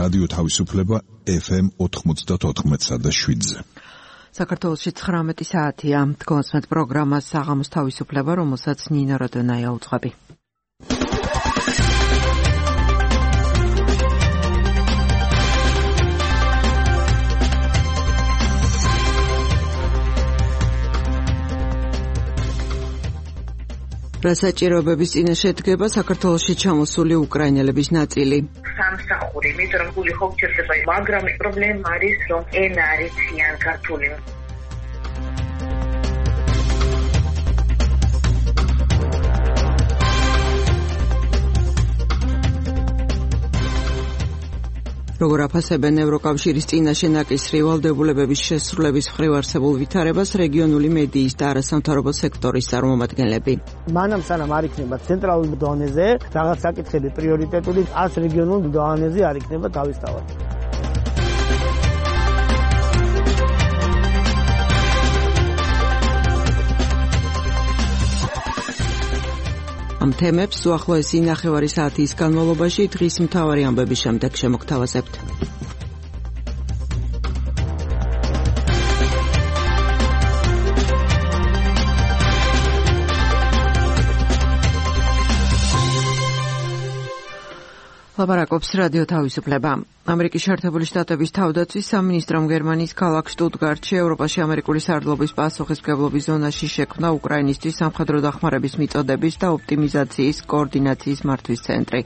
რადიო თავისუფლება FM 94.7-ზე. საქართველოში 19 საათია. გონსმეთ პროგრამას საღამოს თავისუფლება, რომელსაც ნინო როდონაია უძღვები. რასაჭიროებების წინაშე დგება საქართველოში ჩამოსული უკრაინელების ნაწილი. სამსახური, იმიტომ რომ გული ხო გჭირდება, მაგრამ პრობლემა არის, რომ ენა არ იციან ქართული. როგორ აფასებენ ევროკავშირის წინაშე ნაკისრი ვალდებულებების შესრულების მხრივ არსებულ ვითარებას რეგიონული მედიის და არასამთავრობო სექტორის წარმომადგენლები. მანამ სანამ არ იქნება ცენტრალურ დონეზე რაღაც საკითხები პრიორიტეტული, ას რეგიონულ დონეზე არ იქნება თავისთავად. ამ თემებს უახლოესი ნახევარი საათის განმავლობაში დღის მთავარი ამბების შემდეგ შემოგთავაზებთ. ლაპარაკობს რადიო თავისუფლება. ამერიკის შეერთებული შტატების თავდაცვის სამინისტრომ გერმანიის ქალაქ შტუტგარტში ევროპაში ამერიკული სარდლობის პასუხისმგებლობის ზონაში შექმნა უკრაინისთვის სამხედრო დახმარების მიწოდების და ოპტიმიზაციის კოორდინაციის მართვის ცენტრი.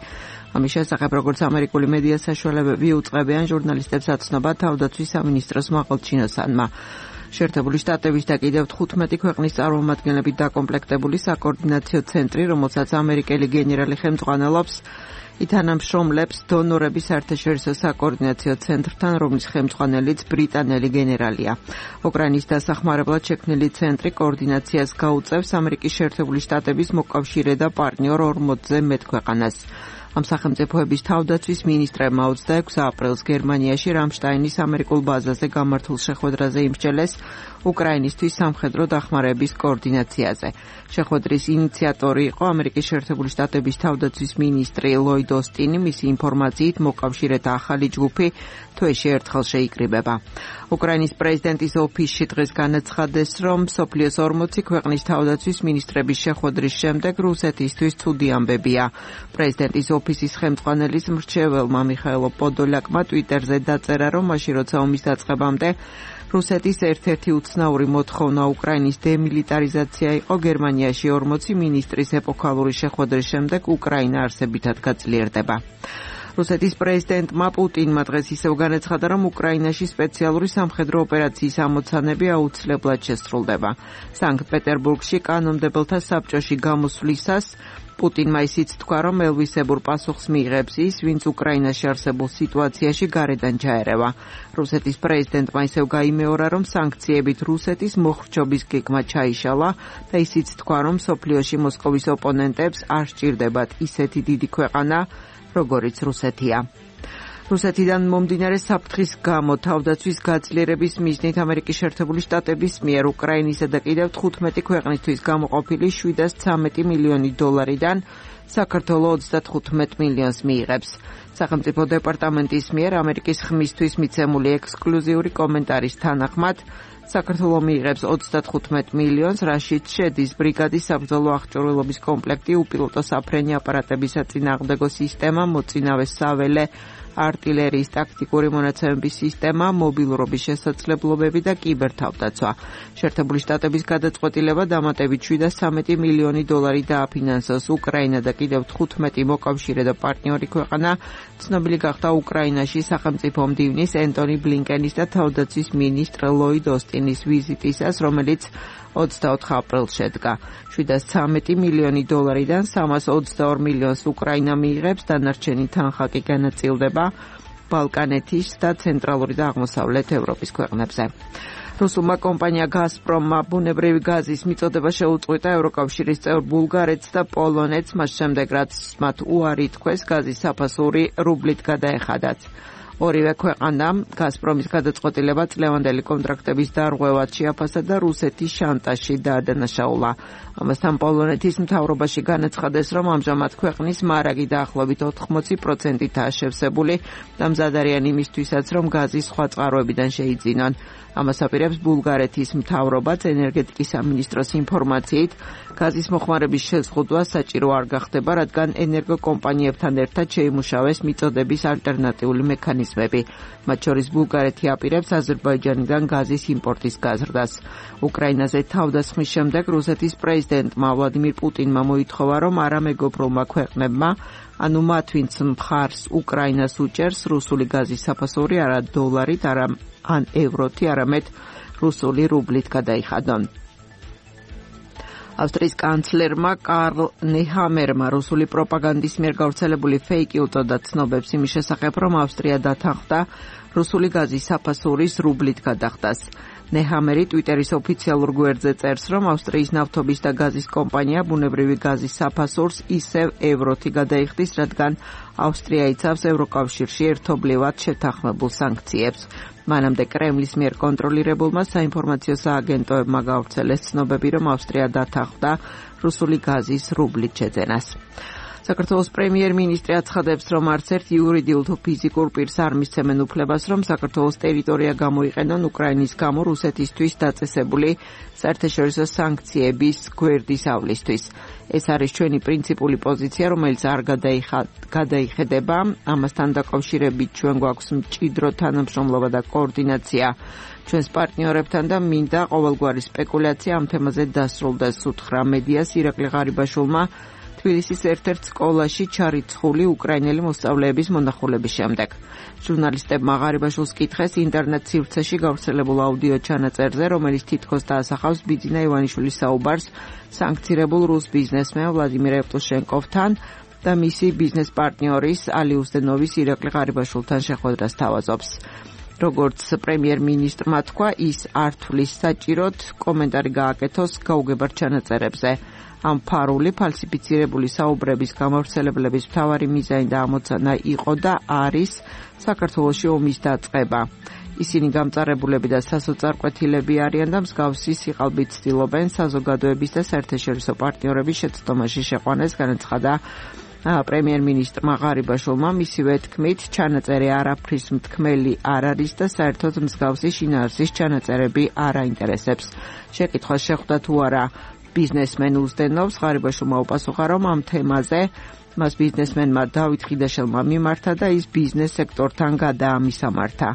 ამის შესახებ, როგორც ამერიკული მედია საშუალებები უწყებიან ჟურნალისტებს აცნობა თავდაცვის სამინისტროს მაღალჩინოსანმა. შეერთებული შტატების და კიდევ 15 ქვეყნის წარმომადგენლებით დაკომპლექტებული საკოორდინაციო ცენტრი, რომელსაც ამერიკელი გენერალი ხელმძღვანელობს, ითანამშრომლებს დონორების საერთაშორისო საკოორდინაციო ცენტრთან, რომლის ხელმძღვანელიც ბრიტანელი გენერალია. უკრაინის დასახმარებლად შექმნილი ცენტრი კოორდინაციას გაუწევს ამერიკის შეერთებული შტატების მოკავშირე და პარტნიორ 40-ზე მეტ ქვეყანას. ამ სახელმწიფოების თავდაცვის მინისტრებმა 26 აპრილს გერმანიაში რამშტაინის ამერიკულ ბაზაზე გამართულ შეხვედრაზე იმსჯელეს უკრაინისთვის სამხედრო დახმარების კოორდინაციაზე. შეხვედრის ინიციატორი იყო ამერიკის შეერთებული შტატების თავდაცვის მინისტრი ლოიდ ოსტინი. მისი ინფორმაციით მოკავშირეთა ახალი ჯგუფი თვეში ერთხელ შეიკრიბება. უკრაინის პრეზიდენტის ოფისში დღეს განაცხადეს, რომ მსოფლიოს 40 ქვეყნის თავდაცვის მინისტრების შეხვედრის შემდეგ რუსეთისთვის ცუდი ამბებია. პრეზიდენტის ოფისის ხელმძღვანელის მრჩეველმა მიხაილო პოდოლაკმა ტვიტერზე დაწერა, რომ მაშინ როცა ომის დაწყებამდე რუსეთის ერთ-ერთი უცნაური მოთხოვნა უკრაინის დემილიტარიზაცია იყო, გერმანიაში 40 მინისტრის ეპოქალური შეხვედრის შემდეგ უკრაინა არსებითად გაძლიერდება. რუსეთის პრეზიდენტმა პუტინმა დღეს ისევ განაცხადა, რომ უკრაინაში სპეციალური სამხედრო ოპერაციის ამოცანები აუცილებლად შესრულდება. სანქტ-პეტერბურგში კანონმდებელთა საბჭოში გამოსვლისას პუტინმა ისიც თქვა, რომ ელვისებურ პასუხს მიიღებს ის, ვინც უკრაინაში არსებულ სიტუაციაში გარედან ჩაერევა. რუსეთის პრეზიდენტმა ისევ გაიმეორა, რომ სანქციებით რუსეთის მოხრჩობის გეგმა ჩაიშალა და ისიც თქვა, რომ მსოფლიოში მოსკოვის ოპონენტებს არ სჭირდებათ ისეთი დიდი ქვეყანა, როგორიც რუსეთია. რუსეთიდან მომდინარე საფრთხის გამო თავდაცვის გაძლიერების მიზნით ამერიკის შეერთებული შტატების მიერ უკრაინისა და კიდევ 15 ქვეყნისთვის გამოყოფილი 713 მილიონი დოლარიდან საქართველოს 35 მილიონს მიიღებს. სახელმწიფო დეპარტამენტის მიერ ამერიკის ხმისთვის მიცემული ექსკლუზიური კომენტარის თანახმად საქართველოს მიიღებს 35 მილიონს, რაშიც შედის ბრიგადის საბრძოლო აღჭურვილობის კომპლექტი, უპილოტო საფრენი აპარატების საწინააღმდეგო სისტემა, მოწინავე საველე артиллерიის ტაქტიკური მონაცემების სისტემა, მობილურობის შესაძლებლობები და კიბერთავდაცვა. შეერთებული შტატების გადაწყვეტილება დამატებით 713 მილიონი დოლარი დააფინანსოს უკრაინა და კიდევ 15 მოკავშირე და პარტნიორი ქვეყანა ცნობილი გახდა უკრაინაში სახელმწიფო მდივნის ენტონი ბლინკენის და თავდაცვის მინისტრ ლოიდ ოსტინის ვიზიტისას, რომელიც 24 აპრილს შედგა. 713 მილიონი დოლარიდან 322 მილიონს უკრაინა მიიღებს, დანარჩენი თანხა კი განაწილდება ბალკანეთის და ცენტრალური და აღმოსავლეთ ევროპის ქვეყნებზე. რუსულმა კომპანია გაზპრომმა ბუნებრივი გაზის მიწოდება შეუწყვეტა ევროკავშირის წევრ ბულგარეთს და პოლონეთს, მას შემდეგ რაც მათ უარი თქვეს გაზის საფასური რუბლით გადაეხადათ. ორივე ქვეყანამ გაზპრომის გადაწყვეტილება წლევანდელი კონტრაქტების დარღვევად შეაფასა და რუსეთის შანტაჟში დაადანაშაულა. ამასთან პოლონეთის მთავრობაში განაცხადეს, რომ ამჟამად ქვეყნის მარაგი დაახლოებით 80%-ითაა შევსებული და მზად არიან იმისთვისაც, რომ გაზი სხვა წყაროებიდან შეიძინონ. ამას აპირებს ბულგარეთის მთავრობაც ენერგეტიკის სამინისტროს ინფორმაციით, გაზის მოხმარების შეზღუდვა საჭირო არ გახდება, რადგან ენერგოკომპანიებთან ერთად შეიმუშავეს მიწოდების ალტერნატიული მექანიზმები. მათ შორის ბულგარეთი აპირებს აზერბაიჯანიდან გაზის იმპორტის გაზრდას. უკრაინაზე თავდასხმის შემდეგ რუსეთის პრეზიდენტმა ვლადიმირ პუტინმა მოითხოვა, რომ არამეგობრულმა ქვეყნებმა, ანუ მათ ვინც მხარს უკრაინას უჭერს, რუსული გაზის საფასური არა დოლარით, ან ევროთი, არამედ რუსული რუბლით გადაიხადონ. ავსტრიის კანცლერმა კარლ ნეჰამერმა რუსული პროპაგანდის მიერ გავრცელებული ფეიკი უწოდა ცნობებს იმის შესახებ, რომ ავსტრია დათანხმდა რუსული გაზის საფასურის რუბლით გადახდას. ნეჰამერი ტვიტერის ოფიციალურ გვერდზე წერს, რომ ავსტრიის ნავთობის და გაზის კომპანია ბუნებრივი გაზის საფასურს ისევ ევროთი გადაიხდის, რადგან ავსტრია იცავს ევროკავშირში ერთობლივად შეთანხმებულ სანქციებს. მანამდე კრემლის მიერ კონტროლირებულმა საინფორმაციო სააგენტოებმა გავრცელეს ცნობები, რომ ავსტრია დათანხმდა რუსული გაზის რუბლით შეძენას. საქართველოს პრემიერ-მინისტრი აცხადებს, რომ არც ერთ იურიდიულ თუ ფიზიკურ პირს არ მისცემენ უფლებას, რომ საქართველოს ტერიტორია გამოიყენონ უკრაინის გამო რუსეთისთვის დაწესებული საერთაშორისო სანქციების გვერდისავლისთვის. ეს არის ჩვენი პრინციპული პოზიცია, რომელიც არ გადაიხედება. ამასთან დაკავშირებით ჩვენ გვაქვს მჭიდრო თანამშრომლობა და კოორდინაცია ჩვენს პარტნიორებთან და მინდა ყოველგვარი სპეკულაცია ამ თემაზე დასრულდეს, უთხრა მედიას ირაკლი ღარიბაშვილმა თბილისის ერთ-ერთ სკოლაში ჩარიცხული უკრაინელი მოსწავლეების მონახულების შემდეგ. ჟურნალისტებმა ღარიბაშვილს კითხეს ინტერნეტ სივრცეში გავრცელებულ აუდიო ჩანაწერზე, რომელიც თითქოს დაასახავს ბიძინა ივანიშვილის საუბარს სანქცირებულ რუს ბიზნესმენ ვლადიმირ ევტუშენკოვთან და მისი ბიზნეს პარტნიორის ალი უზდენოვის ირაკლი ღარიბაშვილთან შეხვედრას თავაზობს. როგორც პრემიერ-მინისტრმა თქვა, ის არ თვლის საჭიროდ კომენტარი გააკეთოს გაუგებარ ჩანაწერებზე. ამ ფარული ფალსიფიცირებული საუბრების გამავრცელებლების მთავარი მიზანი და ამოცანა იყო და არის საქართველოში ომის დაწყება. ისინი გამწარებულები და სასოწარკვეთილები არიან და მსგავსი სიყალბით ცდილობენ საზოგადოების და საერთაშორისო პარტნიორების შეცდომაში შეყვანეს, განაცხადა პრემიერ-მინისტრმა ღარიბაშვილმა. მისივე თქმით, ჩანაწერი არაფრის მთქმელი არ არის და საერთოდ მსგავსი შინაარსის ჩანაწერები არ აინტერესებს. შეკითხვა შეხვდა თუ არა ბიზნესმენ უზდენოვს, ღარიბაშვილმა უპასუხა, რომ ამ თემაზე მას ბიზნესმენმა დავით ხიდაშელმა მიმართა და ის ბიზნეს სექტორთან გადაამისამართა.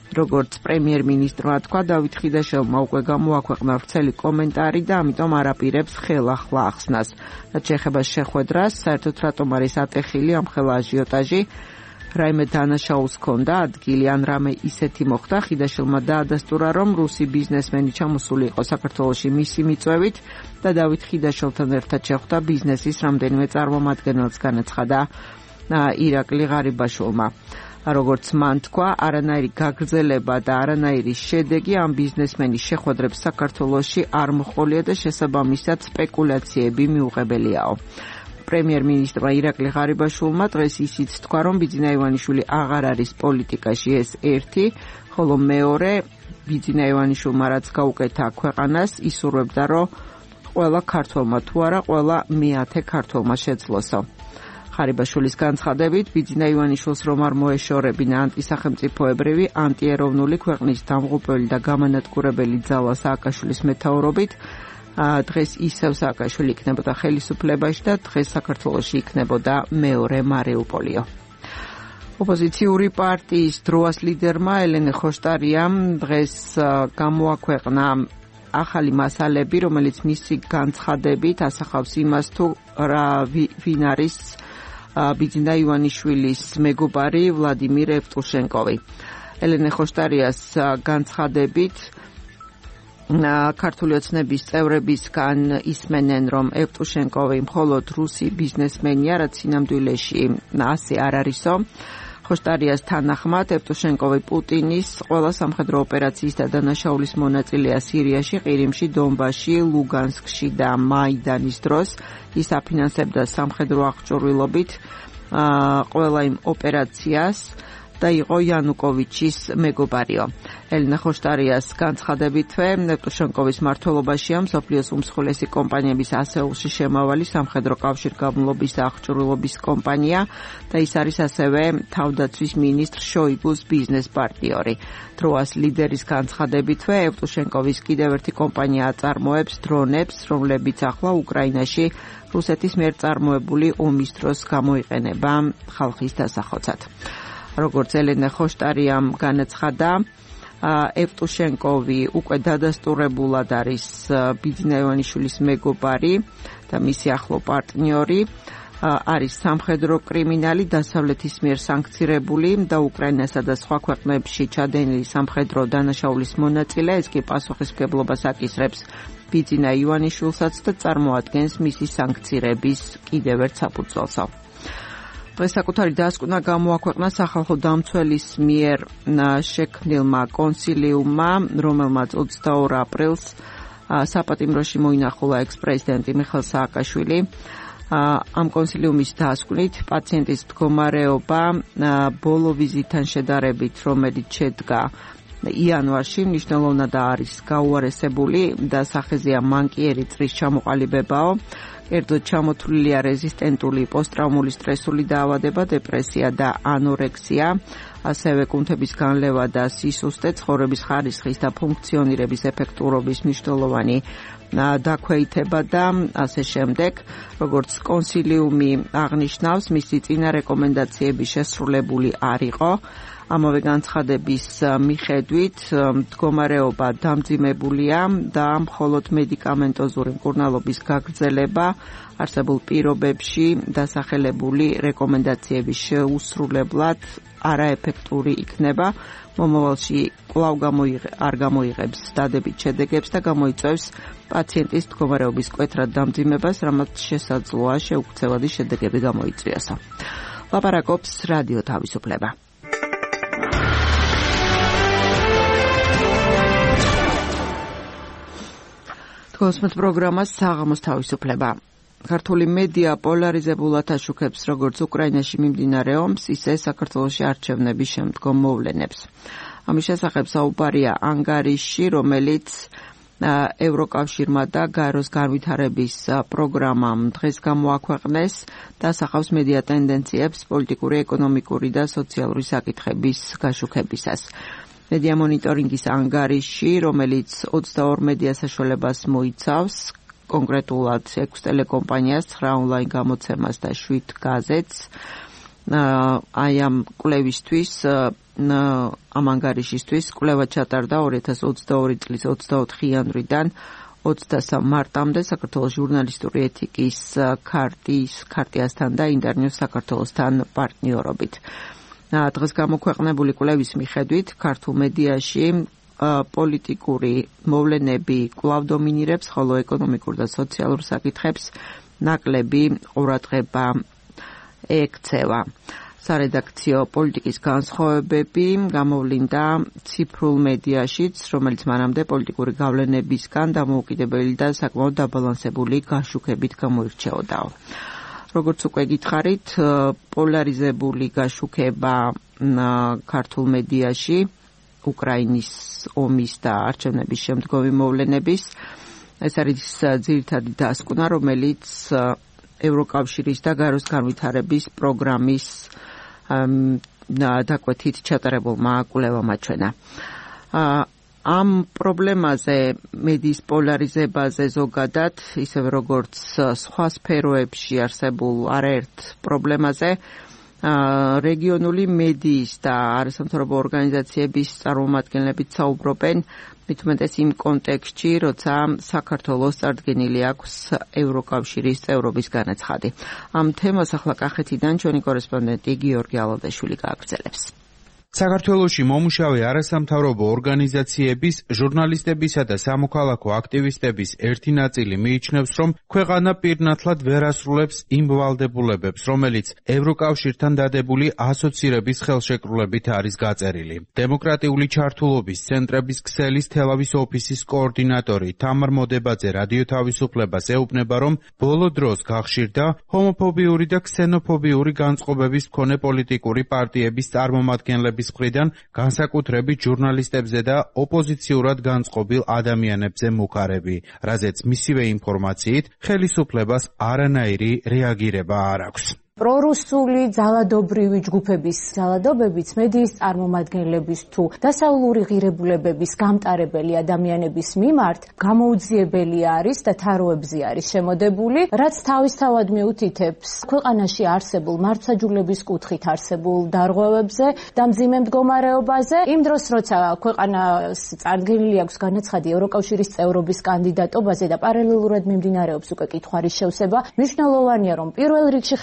როგორც პრემიერ-მინისტრმა თქვა, დავით ხიდაშელმა უკვე გამოაქვეყნა ვრცელი კომენტარი და ამიტომ არ აპირებს ხელახლა ახსნას. რაც შეეხება შეხვედრას, საერთოდ რატომ არის ატეხილი ამ ხელა აჟიოტაჟი, რაიმე დანაშაულს ჰქონდა ადგილი ან რამე ისეთი მოხდა, ხიდაშელმა დაადასტურა, რომ რუსი ბიზნესმენი ჩამოსული იყო საქართველოში მისი მიწვევით და დავით ხიდაშელთან ერთად შეხვდა ბიზნესის რამდენიმე წარმომადგენელს, განაცხადა ირაკლი ღარიბაშვილმა. როგორც მან თქვა, არანაირი გაგრძელება და არანაირი შედეგი ამ ბიზნესმენის შეხვედრებს საქართველოში არ მოჰყოლია და შესაბამისად სპეკულაციები მიუღებელიაო. პრემიერ-მინისტრმა ირაკლი ღარიბაშვილმა დღეს ისიც თქვა, რომ ბიძინა ივანიშვილი აღარ არის პოლიტიკაში, ეს ერთი, ხოლო მეორე, ბიძინა ივანიშვილმა რაც გაუკეთა ქვეყანას, ისურვებდა, რომ ყველა ქართველმა თუ არა, ყველა მეათე ქართველმა შეძლოსო. ღარიბაშვილის განცხადებით, ბიძინა ივანიშვილს რომ არ მოეშორებინა ანტისახელმწიფოებრივი, ანტიეროვნული ქვეყნის დამღუპველი და გამანადგურებელი ძალა სააკაშვილის მეთაურობით, დღეს ისევ სააკაშვილი იქნებოდა ხელისუფლებაში და დღეს საქართველოში იქნებოდა მეორე მარიუპოლიო. ოპოზიციური პარტიის დროას ლიდერმა ელენე ხოშტარიამ დღეს გამოაქვეყნა ახალი მასალები, რომელიც მისი განცხადებით ასახავს იმას, თუ ვინ არის ბიძინა ივანიშვილის მეგობარი ვლადიმირ ევტუშენკოვი. ელენე ხოშტარიას განცხადებით ქართული ოცნების წევრებისგან ისმენენ, რომ ევტუშენკოვი მხოლოდ რუსი ბიზნესმენია, რაც სინამდვილეში ასე არ არისო. ხოშტარიას თანახმად, ევტუშენკოვი პუტინის ყველა სამხედრო ოპერაციის და დანაშაულის მონაწილეა სირიაში, ყირიმში, დონბასში, ლუგანსკში და მაიდანის დროს. ის აფინანსებდა სამხედრო აღჭურვილობით ყველა იმ ოპერაციას, და იყო იანუკოვიჩის მეგობარიო. ელენა ხოშტარიას განცხადებითვე ნეტუშენკოვის მმართველობაშია მსოფლიოს უმსხვილესი კომპანიების ასეულში შემავალი სამხედრო კავშირგაბმულობის და აღჭურვილობის კომპანია და ის არის ასევე თავდაცვის მინისტრ შოიგუს ბიზნეს პარტნიორი. ტროას ლიდერის განცხადებითვე ევტუშენკოვის კიდევ ერთი კომპანია აწარმოებს დრონებს, რომლებიც ახლა უკრაინაში რუსეთის მიერ წარმოებული ომის დროს გამოიყენება ხალხის დასახოცად. როგორც ელენა ხოშტარიამ განაცხადა, ევტუშენკოვი უკვე დადასტურებულად არის ბიძინა ივანიშვილის მეგობარი და მისი ახლო პარტნიორი, არის სამხედრო კრიმინალი, დასავლეთის მიერ სანქცირებული და უკრაინასა და სხვა ქვეყნებში ჩადენილი სამხედრო დანაშაულის მონაწილე, ეს კი პასუხისმგებლობას აკისრებს ბიძინა ივანიშვილსაც და წარმოადგენს მისი სანქცირების კიდევ ერთ საფუძველს. დღეს საკუთარი დასკვნა გამოაქვეყნა სახალხო დამცველის მიერ შექმნილმა კონსილიუმმა, რომელმაც 22 აპრილს საპატიმროში მოინახულა ექს-პრეზიდენტი მიხეილ სააკაშვილი. ამ კონსილიუმის დასკვნით პაციენტის მდგომარეობა ბოლო ვიზიტთან შედარებით, რომელიც შედგა იანვარში, მნიშვნელოვნად არის გაუარესებული და სახეზეა მანკიერი წრის ჩამოყალიბებაო. კერძოდ ჩამოთვლილია რეზისტენტული პოსტტრავმული სტრესული დაავადება, დეპრესია და ანორექსია, ასევე კუნთების განლევა და სისუსტე, ცხოვრების ხარისხის და ფუნქციონირების ეფექტურობის მნიშვნელოვანი დაქვეითება და ასე შემდეგ. როგორც კონსილიუმი აღნიშნავს, მისი წინა რეკომენდაციები შესრულებული არ იყო. ამავე განცხადების მიხედვით მდგომარეობა დამძიმებულია და მხოლოდ მედიკამენტოზური მკურნალობის გაგრძელება არსებულ პირობებში დასახელებული რეკომენდაციების შეუსრულებლად არაეფექტური იქნება. მომავალში კვლავ არ გამოიღებს დადებით შედეგებს და გამოიწვევს პაციენტის მდგომარეობის მკვეთრად დამძიმებას, რამაც შესაძლოა შეუქცევადი შედეგები გამოიწვიოსო. ლაპარაკობს რადიო თავისუფლება. კოსმოს პროგრამას საღამოს თავისუფლება. ქართული მედია პოლარიზებულად აშუქებს როგორც უკრაინაში მიმდინარე ომს, ისე საქართველოში არჩევნების შემდგომ მოვლენებს. ამის შესახებ საუბარია ანგარიში, რომელიც ევროკავშირმა და გაეროს განვითარების პროგრამამ დღეს გამოაქვეყნეს და ასახავს მედია ტენდენციებს პოლიტიკური, ეკონომიკური და სოციალური საკითხების გაშუქებისას. მედია მონიტორინგის ანგარიში, რომელიც 22 მედია საშუალებას მოიცავს, კონკრეტულად 6 ტელეკომპანიას, 9 ონლაინ გამოცემას და 7 გაზეთს. აი ამ კვლევისთვის, ამ ანგარიშისთვის კვლევა ჩატარდა 2022 წლის 24 იანვრიდან 23 მარტამდე საქართველოს ჟურნალისტური ეთიკის ქარტიასთან და ინტერნიუს საქართველოსთან პარტნიორობით. დღეს გამოქვეყნებული კვლევის მიხედვით ქართულ მედიაში პოლიტიკური მოვლენები კვლავ დომინირებს, ხოლო ეკონომიკურ და სოციალურ საკითხებს ნაკლები ყურადღება ექცევა. სარედაქციო პოლიტიკის განსხვავებები გამოვლინდა ციფრულ მედიაშიც, რომელიც მანამდე პოლიტიკური გავლენებისგან დამოუკიდებელი და საკმაოდ დაბალანსებული გაშუქებით გამოირჩეოდაო. როგორც უკვე გითხარით, პოლარიზებული გაშუქება ქართულ მედიაში უკრაინის ომის და არჩევნების შემდგომი მოვლენების. ეს არის ძირითადი დასკვნა, რომელიც ევროკავშირის და გაეროს განვითარების პროგრამის დაკვეთით ჩატარებულმა კვლევამ აჩვენა. ამ პრობლემაზე, მედიის პოლარიზებაზე ზოგადად, ისევე როგორც სხვა სფეროებში არსებულ არაერთ პრობლემაზე, რეგიონული მედიის და არასამთავრობო ორგანიზაციების წარმომადგენლებიც საუბრობენ, მით უმეტეს იმ კონტექსტში, როცა საქართველოს წარდგენილი აქვს ევროკავშირის წევრობის განაცხადი. ამ თემას ახლა კახეთიდან ჩვენი კორესპონდენტი გიორგი ალადაშვილი გააგრძელებს. საქართველოში მომუშავე არასამთავრობო ორგანიზაციების, ჟურნალისტებისა და სამოქალაქო აქტივისტების ერთი ნაწილი მიიჩნევს, რომ ქვეყანა პირნათლად ვერ ასრულებს იმ ვალდებულებებს, რომელიც ევროკავშირთან დადებული ასოცირების ხელშეკრულებით არის გაწერილი. დემოკრატიული ჩართულობის ცენტრების ქსელის თელავის ოფისის კოორდინატორი თამარ მოდებაძე რადიო თავისუფლებას ეუბნება, რომ ბოლო დროს გახშირდა ჰომოფობიური და ქსენოფობიური განწყობების მქონე პოლიტიკური პარტიების წარმომადგენლების მხრიდან განსაკუთრებით ჟურნალისტებზე და ოპოზიციურად განწყობილ ადამიანებზე მუქარები, რაზეც მისივე ინფორმაციით ხელისუფლებას არანაირი რეაგირება არ აქვს. პრორუსული ძალადობრივი ჯგუფების ძალადობებიც მედიის წარმომადგენლების თუ დასავლური ღირებულებების გამტარებელი ადამიანების მიმართ გამოუძიებელი არის და თაროებზე არის შემოდებული, რაც თავისთავად მიუთითებს ქვეყანაში არსებულ მართლმსაჯულების კუთხით არსებულ დარღვევებზე და მძიმე მდგომარეობაზე. იმ დროს, როცა ქვეყანას წარდგენილი აქვს განაცხადი ევროკავშირის წევრობის კანდიდატობაზე და პარალელურად მიმდინარეობს უკვე კითხვის შევსება, მნიშვნელოვანია, რომ პირველ რიგში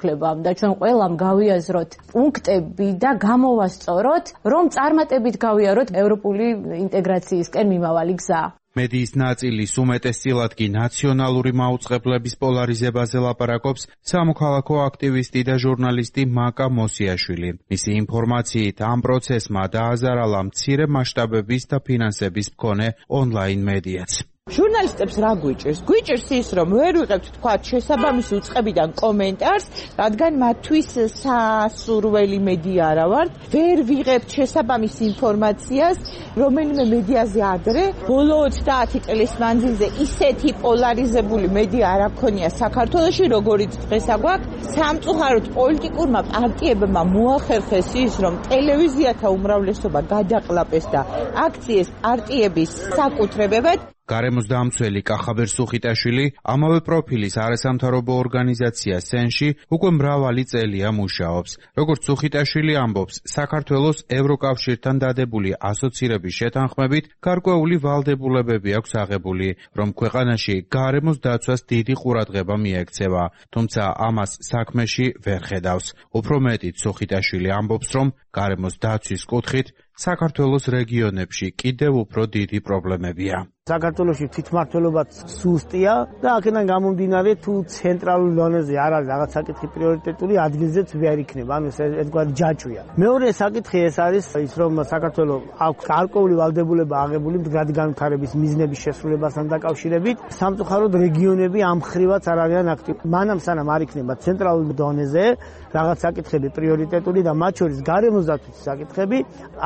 და ჩვენ ყველამ გავიაზროთ პუნქტები და გამოვასწოროთ, რომ წარმატებით გავიაროთ ევროპული ინტეგრაციისკენ მიმავალი გზა. მედიის ნაწილის უმეტესწილად კი ნაციონალური მაუწყებლების პოლარიზებაზე ლაპარაკობს სამოქალაქო აქტივისტი და ჟურნალისტი მაკა მოსიაშვილი. მისი ინფორმაციით ამ პროცესმა დააზარალა მცირე მასშტაბების და ფინანსების მქონე ონლაინ მედიაც. ჟურნალისტებს რა გვიჭირს? გვიჭირს ის, რომ ვერ ვიღებთ თქვათ შესაბამისი უწყებიდან კომენტარს, რადგან მათთვის სასურველი მედია არა ვართ, ვერ ვიღებთ შესაბამის ინფორმაციას, რომელიმე მედიაზე ადრე ბოლო 30 წლის მანძილზე ისეთი პოლარიზებული მედია არ აქონია საქართველოში, როგორიც დღეს აგვაქვს. სამწუხაროდ პოლიტიკურმა პარტიებმა მოახერხეს ის, რომ ტელევიზიათა უმრავლესობა გადაყლაპეს და აქციეს პარტიების საკუთრებებად. გარემოს დამცველი კახაბერ სუხიტაშვილი ამავე პროფილის არასამთავრობო ორგანიზაცია სენში უკვე მრავალი წელია მუშაობს. როგორც სუხიტაშვილი ამბობს, საქართველოს ევროკავშირთან დადებული ასოცირების შეთანხმებით გარკვეული ვალდებულებები აქვს აღებული, რომ ქვეყანაში გარემოს დაცვას დიდი ყურადღება მიექცევა, თუმცა ამას საქმეში ვერ ხედავს. უფრო მეტით სუხიტაშვილი ამბობს, რომ გარემოს დაცვის კუთხით საქართველოს რეგიონებში კიდევ უფრო დიდი პრობლემებია. საქართველოში თვითმმართველობაც სუსტია და აქედან გამომდინარე თუ ცენტრალურ დონეზე არ არის რაღაც საკითხი პრიორიტეტული, ადგილზეც ვერ იქნება, ანუ ერთგვარი ჯაჭვია. მეორე საკითხი ეს არის ის, რომ საქართველოს აქვს გარკვეული ვალდებულება აღებული მდგრადი განვითარების მიზნების შესრულებასთან დაკავშირებით, სამწუხაროდ რეგიონები ამ ხრივაც არ არიან აქტიური. მანამ სანამ არ იქნება ცენტრალურ დონეზე რაღაც საკითხები პრიორიტეტული და მათ შორის გარემოს დაცვის საკითხები,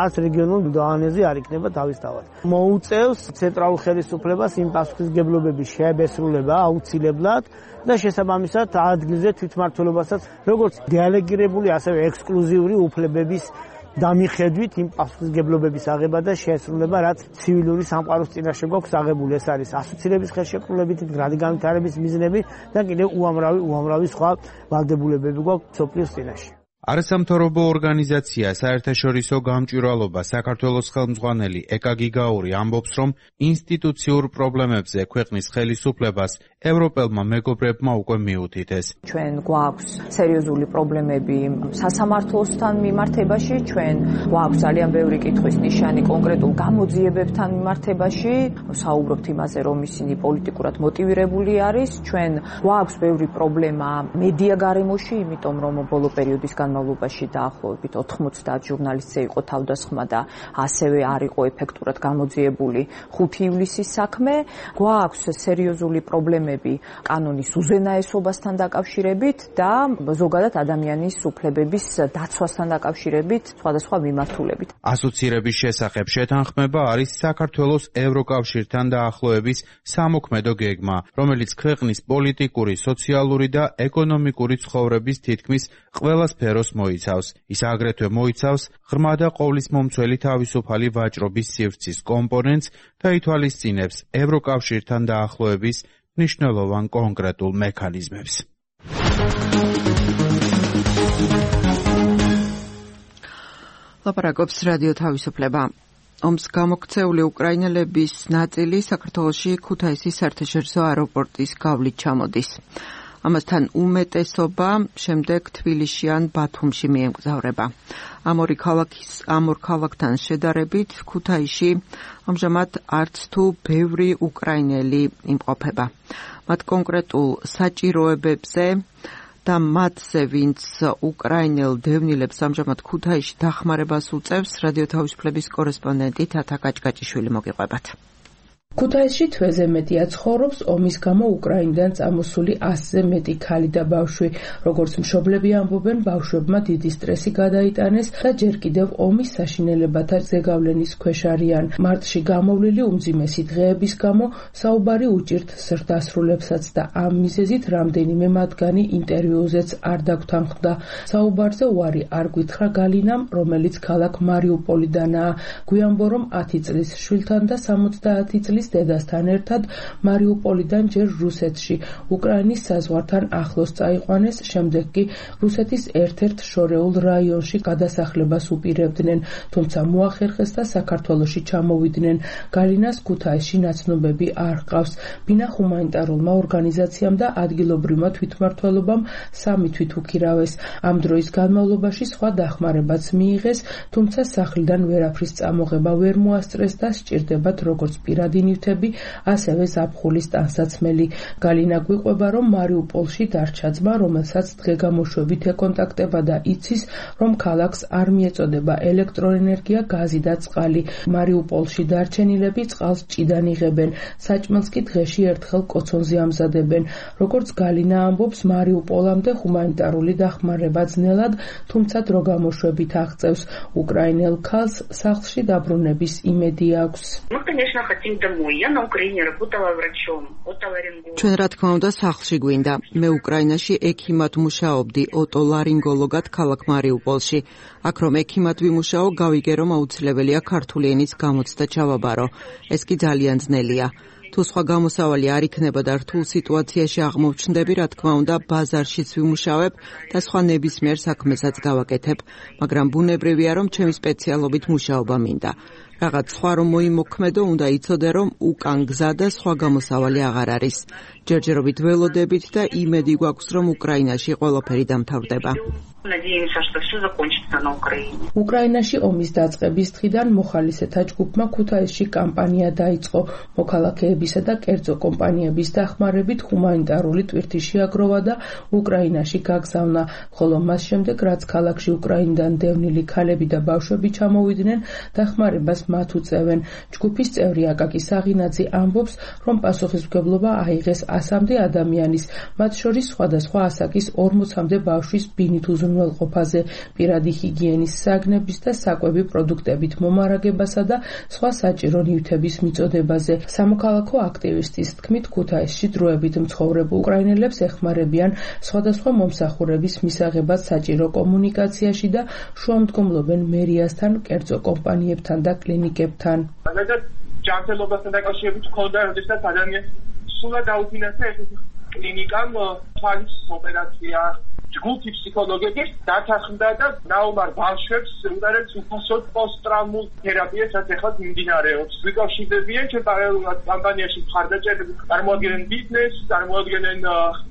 არც რეგიონულ დონეზე არ იქნება თავისთავად. მოუწევს ცენტრალურ ხელისუფლებას იმ პასუხისმგებლობების შეებესრულება აუცილებლად და შესაბამისად ადგილზე თვითმმართველობასაც როგორც დელეგირებული, ასევე ექსკლუზიური უფლებების დამიხედვით იმ პასუხისმგებლობების აღება და შესრულება, რაც ცივილური სამყაროს წინაშე გვაქვს აღებული. ეს არის ასოცირების ხელშეკრულებით, მდგრადი განვითარების მიზნები და კიდევ უამრავი სხვა ვალდებულებები გვაქვს სოფლის წინაშე. არასამთავრობო ორგანიზაცია საერთაშორისო გამჭვირვალობა საქართველოს ხელმძღვანელი ეკა გიგაური ამბობს, რომ ინსტიტუციურ პრობლემებზე ქვეყნის ხელისუფლებას ევროპელმა მეგობრებმა უკვე მიუთითეს. ჩვენ გვაქვს სერიოზული პრობლემები სასამართლოსთან მიმართებაში, ჩვენ გვაქვს ძალიან ბევრი კითხვის ნიშანი კონკრეტულ გამოძიებებთან მიმართებაში, საუბრობთ იმაზე, რომ ისინი პოლიტიკურად მოტივირებული არის, ჩვენ გვაქვს ბევრი პრობლემა მედია გარემოში, იმიტომ რომ ბოლო პერიოდის განმავლობაში დაახლოებით 90 ჟურნალისტზე იყო თავდასხმა და ასევე არ იყო ეფექტურად გამოძიებული 5 ივლისის საქმე. გვაქვს სერიოზული პრობლემები კანონის უზენაესობასთან დაკავშირებით და ზოგადად ადამიანის უფლებების დაცვასთან დაკავშირებით სხვადასხვა მიმართულებით. ასოცირების შესახებ შეთანხმება არის საქართველოს ევროკავშირთან დაახლოების სამოქმედო გეგმა, რომელიც ქვეყნის პოლიტიკური, სოციალური და ეკონომიკური ცხოვრების თითქმის ყველა სფეროს მოიცავს. ის აგრეთვე მოიცავს ღრმა და ყოვლისმომცველი თავისუფალი ვაჭრობის სივრცის კომპონენტს და ითვალისწინებს ევროკავშირთან დაახლოების მნიშვნელოვან კონკრეტულ მექანიზმებს. ლაპარაკობს რადიო თავისუფლება. ომს გამოქცეული უკრაინელების ნაწილი საქართველოში ქუთაისის საერთაშორისო აეროპორტის გავლით ჩამოდის. ამასთან უმეტესობა შემდეგ თბილისში ან ბათუმში მიემგზავრება. ამ ორ ქალაქთან შედარებით ქუთაისში ამჟამად არც თუ ბევრი უკრაინელი იმყოფება. მათ კონკრეტულ საჭიროებებზე და მათზე, ვინც უკრაინელ დევნილებს ამჟამად ქუთაისში დახმარებას უწევს, რადიო თავისუფლების კორესპონდენტი თათა კაჭკაჭიშვილი მოგიყვებათ. ქუთაისში თვეზე მეტია ცხოვრობს ომის გამო უკრაინიდან წამოსული 100-ზე მეტი ქალი და ბავშვი. როგორც მშობლები ამბობენ, ბავშვებმა დიდი სტრესი გადაიტანეს და ჯერ კიდევ ომის საშინელებათა ზეგავლენის ქვეშ არიან. მარტში გამოვლილი უმძიმესი დღეების გამო საუბარი უჭირთ ზრდასრულებსაც და ამ მიზეზით რამდენიმე მათგანი ინტერვიუზეც არ დაგვთანხმდა. საუბარზე უარი არ გვითხრა გალინამ, რომელიც ქალაქ მარიუპოლიდანაა. გვიანბო, რომ 10 წლის შვილთან და 70 წლის დედასთან ერთად მარიუპოლიდან ჯერ რუსეთში, უკრაინის საზღვართან ახლოს წაიყვანეს, შემდეგ კი რუსეთის ერთ-ერთ შორეულ რაიონში გადასახლებას უპირებდნენ, თუმცა მოახერხეს და საქართველოში ჩამოვიდნენ. გალინას ქუთაისში ნაცნობები არ ჰყავს. ბინა ჰუმანიტარულმა ორგანიზაციამ და ადგილობრივმა თვითმმართველობამ სამი თვით უქირავეს. ამ დროის განმავლობაში სხვა დახმარებაც მიიღეს, თუმცა სახლიდან ვერაფრის წამოღება ვერ მოასწრეს და სჭირდებათ როგორც პირადი ნივთები, ასევე ზაფხულის ტანსაცმელი. გალინა გვიყვება, რომ მარიუპოლში დარჩა ძმა, რომელსაც დღე-გამოშვებით ეკონტაქტება და იცის, რომ ქალაქს არ მიეწოდება ელექტროენერგია, გაზი და წყალი. მარიუპოლში დარჩენილები წყალს ჭიდან იღებენ, საჭმელს კი დღეში ერთხელ კოცონზე ამზადებენ. როგორც გალინა ამბობს, მარიუპოლამდე ჰუმანიტარული დახმარება ძნელად, თუმცა დროგამოშვებით აღწევს. უკრაინელ ქალს სახლში დაბრუნების იმედი აქვს. ჩვენ რა თქმა უნდა სახლში გვინდა. მე უკრაინაში ექიმად მუშაობდი, ოტოლარინგოლოგად ქალაქ მარიუპოლში. აქ რომ ექიმად ვიმუშაო, გავიგე რომ აუცილებელია ქართული ენის გამოცდა ჩავაბარო. ეს კი ძალიან ძნელია. თუ სხვა გამოსავალი არ იქნება და რთულ სიტუაციაში აღმოჩნდები, რა თქმა უნდა, ბაზარშიც ვიმუშავებ და სხვა ნებისმიერ საქმესაც გავაკეთებ, მაგრამ ბუნებრივია, რომ ჩემი სპეციალობით მუშაობა მინდა. რაღაც სხვა რომ მოიმოქმედო, უნდა იცოდე, რომ უკან გზა და სხვა გამოსავალი აღარ არის. ჯერჯერობით ველოდებით და იმედი გვაქვს, რომ უკრაინაში ყველაფერი დამთავრდება. უკრაინაში ომის დაწყების დღიდან მოხალისეთა ჯგუფმა ქუთაისში კამპანია დაიწყო. მოქალაქეებისა და კერძო კომპანიების დახმარებით ჰუმანიტარული ტვირთი შეაგროვა და უკრაინაში გაგზავნა, ხოლო მას შემდეგ, რაც ქალაქში უკრაინიდან დევნილი ქალები და ბავშვები ჩამოვიდნენ, დახმარებას მათ უწევენ. ჯგუფის წევრი აკაკი საღინაძე ამბობს, რომ პასუხისმგებლობა აიღეს 100-მდე ადამიანის, მათ შორის სხვადასხვა ასაკის 40-მდე ბავშვის ბინით უზრუნველყოფაზე, პირადი ჰიგიენის საგნების და საკვები პროდუქტებით მომარაგებასა და სხვა საჭირო ნივთების მიწოდებაზე. სამოქალაქო აქტივისტის თქმით, ქუთაისში დროებით მცხოვრებ უკრაინელებს ეხმარებიან სხვადასხვა მომსახურების მისაღებად საჭირო კომუნიკაციაში და შუამდგომლობენ მერიასთან, კერძო კომპანიებთან და კლინიკებთან. ჯანმრთელობასთან დაკავშირებით ჰქონდა, როდესაც ადამიანს სულად დაუფინანსა ეს კლინიკამ თვალის ოპერაცია. ჯგუფი ფსიქოლოგების დათანხმდა და ნაუმარ ბავშვებს უყურებს უფასოდ პოსტტრაუმულ თერაპიას, რაც ახლა მიმდინარეობს. ვიკავშირდებიან ჩვენ პარალელურად კამპანიაში მხარდაჭერები, წარმოადგენენ ბიზნესს, წარმოადგენენ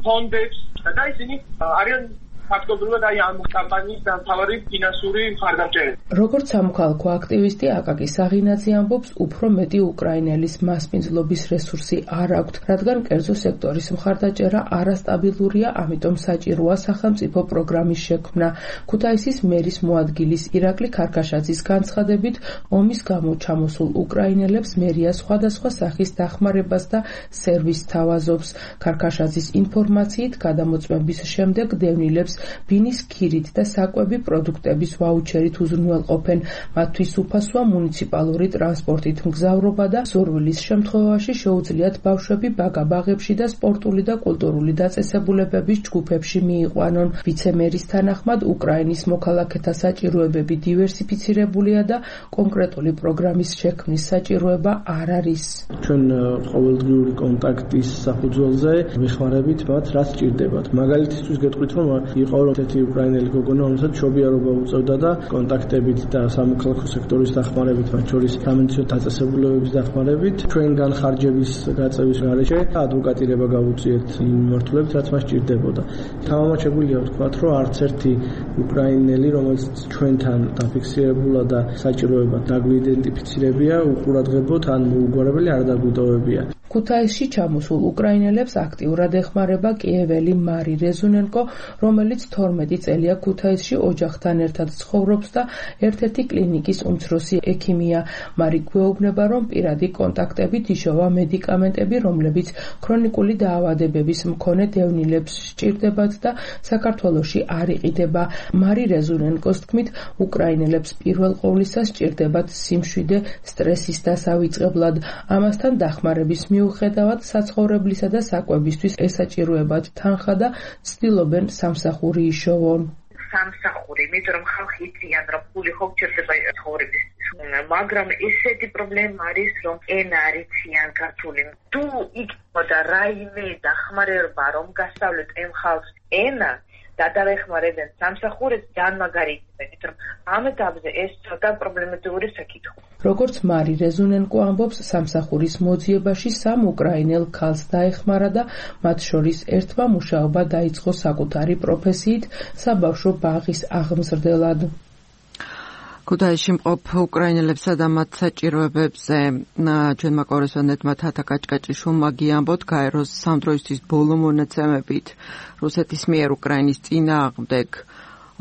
ფონდებს და ისინი არიან ფაქტობრივად ამ კამპანიის დამთავრების ფინანსური მხარდამჭერები. როგორც სამოქალაქო აქტივისტი აკაკი საღინაძე ამბობს, უფრო მეტი უკრაინელის მასპინძლობის რესურსი არ აქვთ, რადგან კერძო სექტორის მხარდაჭერა არასტაბილურია, ამიტომ საჭიროა სახელმწიფო პროგრამის შექმნა. ქუთაისის მერის მოადგილის ირაკლი ქარქაშაძის განცხადებით, ომის გამო ჩამოსულ უკრაინელებს მერია სხვადასხვა სახის დახმარებას და სერვისს თავაზობს. ქარქაშაძის ინფორმაციით, გადამოწმების შემდეგ დევნილებს ბინის ქირით და საკვები პროდუქტების ვაუჩერით უზრუნველყოფენ. მათთვის უფასოა მუნიციპალური ტრანსპორტით მგზავრობა და ზურვილის შემთხვევაში შეუძლიათ ბავშვები ბაგა-ბაღებში და სპორტული და კულტურული დაწესებულებების ჯგუფებში მიიყვანონ. ვიცემერის თანახმად, უკრაინის მოქალაქეთა საჭიროებები დივერსიფიცირებულია და კონკრეტული პროგრამის შექმნის საჭიროება არ არის. ჩვენ ყოველდღიური კონტაქტის საფუძველზე ვეხმარებით მათ, რაც სჭირდებათ. მაგალითისთვის გეტყვით, რომ იყო ერთ-ერთი უკრაინელი გოგონა, რომელსაც მშობიარობა უწევდა და კონტაქტებით და სამოქალაქო სექტორის დახმარებით, მათ შორის სამედიცინო დაწესებულებების დახმარებით, ჩვენ განხარჯების გაწევის გარეშე ადვოკატირება გავუწიეთ იმ მიმართულებით, რაც მას ჭირდებოდა. თამამად შეგვიძლია ვთქვათ, რომ არც ერთი უკრაინელი, რომელიც ჩვენთან დაფიქსირებულა და საჭიროებად დაგვიდენტიფიცირებია, უყურადღებოთ ან მოუგვარებელი არ დაგვიტოვებია. ქუთაისში ჩამოსულ უკრაინელებს აქტიურად ეხმარება კიეველი მარი რეზუნენკო, რომელიც 12 წელია ქუთაისში ოჯახთან ერთად ცხოვრობს და ერთ-ერთი კლინიკის უმცროსი ექიმია. მარი გვეუბნება, რომ პირადი კონტაქტებით იშოვა მედიკამენტები, რომლებიც ქრონიკული დაავადებების მქონე დევნილებს სჭირდებათ და საქართველოში არ იყიდება. მარი რეზუნენკოს თქმით, უკრაინელებს პირველ ყოვლისა სჭირდებათ სიმშვიდე სტრესის დასავიწყებლად. ამასთან დახმარების მიუხედავად საცხოვრებლისა და საკვებისთვის ესაჭიროებათ თანხა და ცდილობენ სამსახური იშოვონ. სამსახური, იმიტომ რომ ხალხი იციან, რომ ფული ხო გჭირდება ცხოვრებისთვის. მაგრამ ესეთი პრობლემა არის, რომ ენა არ იციან ქართული. თუ იქნებოდა რაიმე დახმარება, რომ გასავლეთ ამ ხალხს ენა და დაეხმარებენ სამსახურებს, ძალიან მაგარი იქნება, იმიტომ რომ ამ ეტაპზე ეს ცოტა პრობლემატური საკითხია. როგორც მარი რეზუნენკო ამბობს, სამსახურის მოძიებაში 3 უკრაინელ ქალს დაეხმარა და მათ შორის ერთმა მუშაობა დაიწყო საკუთარი პროფესიით საბავშვო ბაღის აღმზრდელად. ქუთაისში მყოფ უკრაინელებსა და მათ საჭიროებებზე ჩვენმა კორესპონდენტმა თათა კაჭკაჭიშვილმა გიამბოთ, გაეროს სამდროისთვის ბოლო მონაცემებით რუსეთის მიერ უკრაინის წინააღმდეგ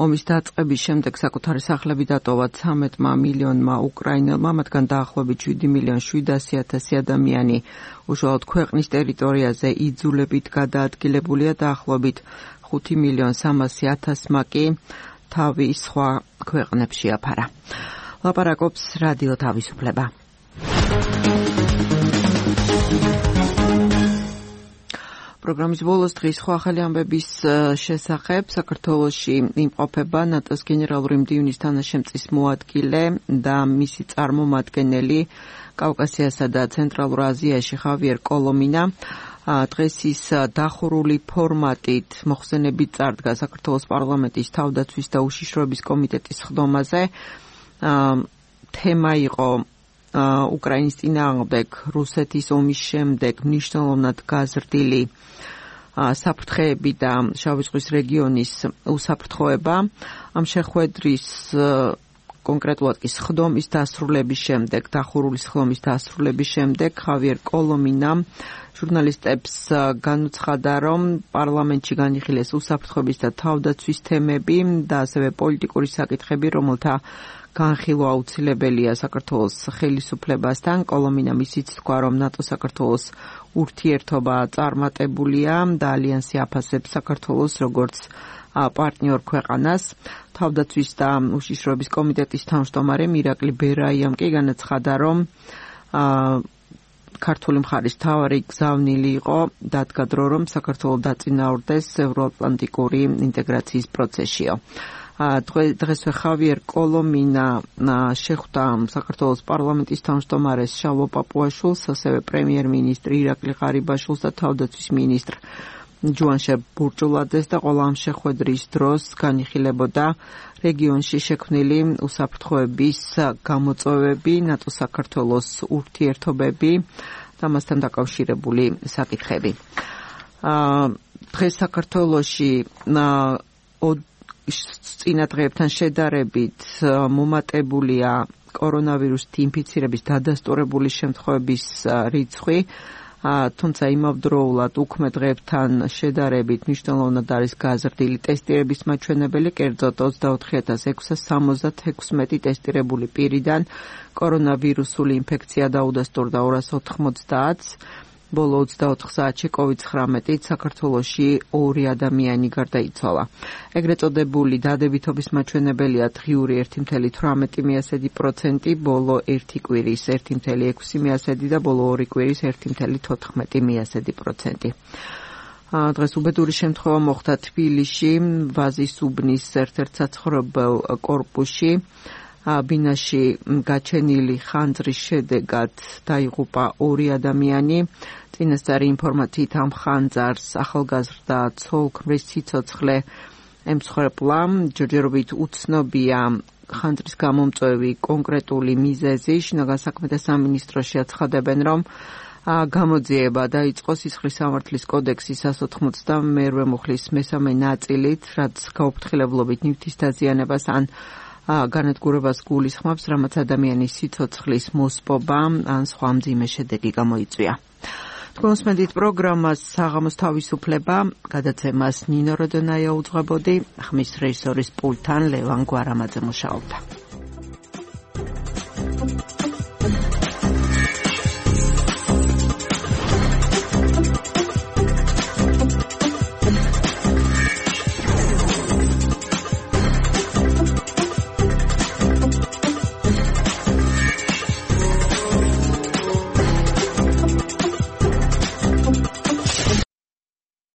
ომის დაწყების შემდეგ საკუთარი სახლები დატოვა 13 მილიონმა უკრაინელმა, მათგან დაახლოებით 7,700,000 ადამიანი უშუალოდ ქვეყნის ტერიტორიაზე იძულებით გადაადგილებულია, დაახლოებით 5,300,000 კი თავის სხვა ქვეყნებში აფარა. ლაპარაკობს რადიო თავისუფლება. პროგრამის ბოლოს დღის სხვა ახალი ამბების შესახებ საქართველოში იმყოფება ნატოს გენერალური მდივნის თანაშემწის მოადგილე და მისი წარმომადგენელი კავკასიასა და ცენტრალურ აზიაში ხავიერ კოლომინა. დღეს ის დახურული ფორმატით მოხსენებით წარდგა საქართველოს პარლამენტის თავდაცვის და უშიშროების კომიტეტის ხდომაზე. თემა იყო უკრაინის წინააღმდეგ რუსეთის ომის შემდეგ მნიშვნელოვნად გაზრდილი საფრთხეები და შავი ზღვის რეგიონის უსაფრთხოება. ამ შეხვედრის კონკრეტულად კი ხდომის დასრულების შემდეგ, დახურული ხდომის დასრულების შემდეგ ხავიერ კოლომინამ ჟურნალისტებს განუცხადა, რომ პარლამენტში განიხილეს უსაფრთხოების და თავდაცვის თემები და ასევე პოლიტიკური საკითხები, რომელთა განხილვა აუცილებელია საქართველოს ხელისუფლებასთან. კოლომინამ ისიც თქვა, რომ ნატო-საქართველოს ურთიერთობა წარმატებულია და ალიანსი აფასებს საქართველოს როგორც პარტნიორ ქვეყანას. თავდაცვის და უშიშროების კომიტეტის თავმჯდომარე მირაკლი ბერაიამ კი განაცხადა, რომ ქართული მხარის მთავარი გზავნილი იყო დადგა დრო, რომ საქართველო დაწინაურდეს ევროატლანტიკური ინტეგრაციის პროცესშიო. დღესვე ხავიერ კოლომინა შეხვდა საქართველოს პარლამენტის თავმჯდომარეს შალვა პაპუაშვილს, ასევე პრემიერ-მინისტრ ირაკლი ღარიბაშვილს და თავდაცვის მინისტრ ჯუანშე ბურჭულაძეს და ყველა ამ შეხვედრის დროს განიხილებოდა რეგიონში შექმნილი უსაფრთხოების გამოწვევები, ნატო-საქართველოს ურთიერთობები და მასთან დაკავშირებული საკითხები. დღეს საქართველოში წინა დღეებთან შედარებით მომატებულია კორონავირუსით ინფიცირების დადასტურებული შემთხვევების რიცხვი, თუმცა იმავდროულად უქმე დღეებთან შედარებით მნიშვნელოვნად არის გაზრდილი ტესტირების მაჩვენებელი, კერძოდ 24,676 ტესტირებული პირიდან კორონავირუსული ინფექცია დაუდასტურდა 290-ს. ბოლო 24 საათში COVID-19 საქართველოში 2 ადამიანი გარდაიცვალა. ეგრეთ წოდებული დადებითობის მაჩვენებელია დღიური 1,18%, ბოლო 1 კვირის 1,6% და ბოლო 2 კვირის 1,14%. დღეს უბედური შემთხვევა მოხდა თბილისში, ვაზის უბნის ერთ-ერთ საცხოვრებელ კორპუსში. ბინაში გაჩენილი ხანძრის შედეგად დაიღუპა 2 ადამიანი. წინასწარი ინფორმაციით ამ ხანძარს ახალგაზრდა ცოლ-ქმრის სიცოცხლე ემსხვერპლა, ჯერჯერობით უცნობია ხანძრის გამომწვევი კონკრეტული მიზეზი. შინაგან საქმეთა სამინისტროში აცხადებენ, რომ გამოძიება დაიწყო სისხლის სამართლის კოდექსის 192 მუხლის მესამე ნაწილით, რაც გაუფრთხილებლობით ნივთის დაზიანებას ან განადგურებას გულისხმობს, რამაც ადამიანის სიცოცხლის მოსპობა ან სხვა მძიმე შედეგი გამოიწვია. თქვენ უსმენთ პროგრამას საღამოს თავისუფლება, გადაცემას ნინო როდონაია უძღვებოდი, ხმის რეჟისორის პულტთან ლევან გვარამაძე მუშაობდა.